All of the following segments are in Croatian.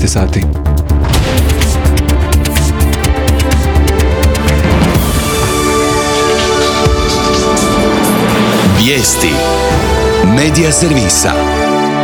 12 sati. Vijesti Medija servisa.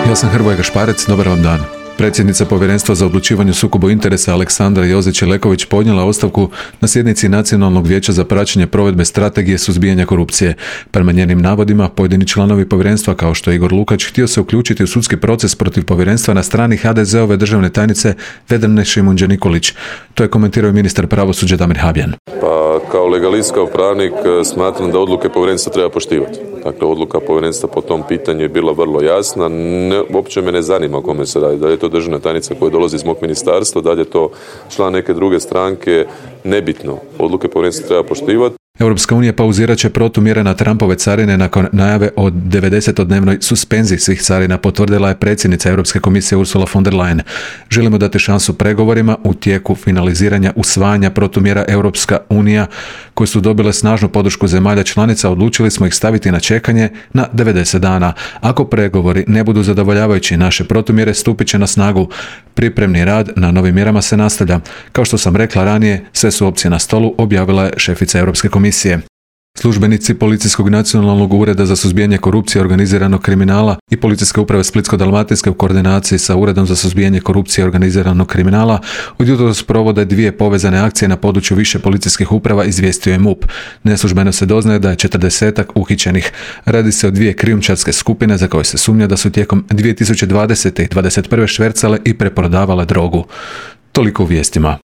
Ja sam Hrvoje Gašparec, dobar vam dan. Predsjednica Povjerenstva za odlučivanje o sukobu interesa Aleksandra Jozić-Ileković podnijela ostavku na sjednici Nacionalnog vijeća za praćenje provedbe strategije suzbijanja korupcije. Prema njenim navodima, pojedini članovi povjerenstva, kao što je Igor Lukač, htio se uključiti u sudski proces protiv povjerenstva na strani HDZ-ove državne tajnice Vedrane Šimunđe-Nikolić. To je komentirao ministar pravosuđa Damir Habijan. Pa kao legalist, kao pravnik smatram da odluke povjerenstva treba poštivati. Dakle, odluka povjerenstva po tom pitanju je bila vrlo jasna. Uopće me ne zanima o kome se radi. Da li je to državna tajnica koja dolazi iz mog ministarstva, da li je to član neke druge stranke, nebitno. Odluke povjerenstva treba poštivati. Europska unija pauzirat će protumjere na Trumpove carine nakon najave o 90-dnevnoj suspenziji svih carina, potvrdila je predsjednica Europske komisije Ursula von der Leyen. Želimo dati šansu pregovorima u tijeku finaliziranja usvajanja protumjera. Europska unija, koje su dobile snažnu podršku zemalja članica, odlučili smo ih staviti na čekanje na 90 dana. Ako pregovori ne budu zadovoljavajući, naše protumjere stupit će na snagu. Pripremni rad na novim mjerama se nastavlja. Kao što sam rekla ranije, sve su opcije na stolu, objavila je šefica Europske komisije. Službenici Policijskog nacionalnog ureda za suzbijanje korupcije i organiziranog kriminala i Policijske uprave Splitsko-dalmatinske u koordinaciji sa Uredom za suzbijanje korupcije i organiziranog kriminala od jutros provode 2 povezane akcije na području više policijskih uprava, izvijestio je MUP. Neslužbeno se doznaje da je 40 uhićenih. Radi se o 2 krijumčarske skupine za koje se sumnja da su tijekom 2020. i 2021. švercale i preprodavale drogu. Toliko u vijestima.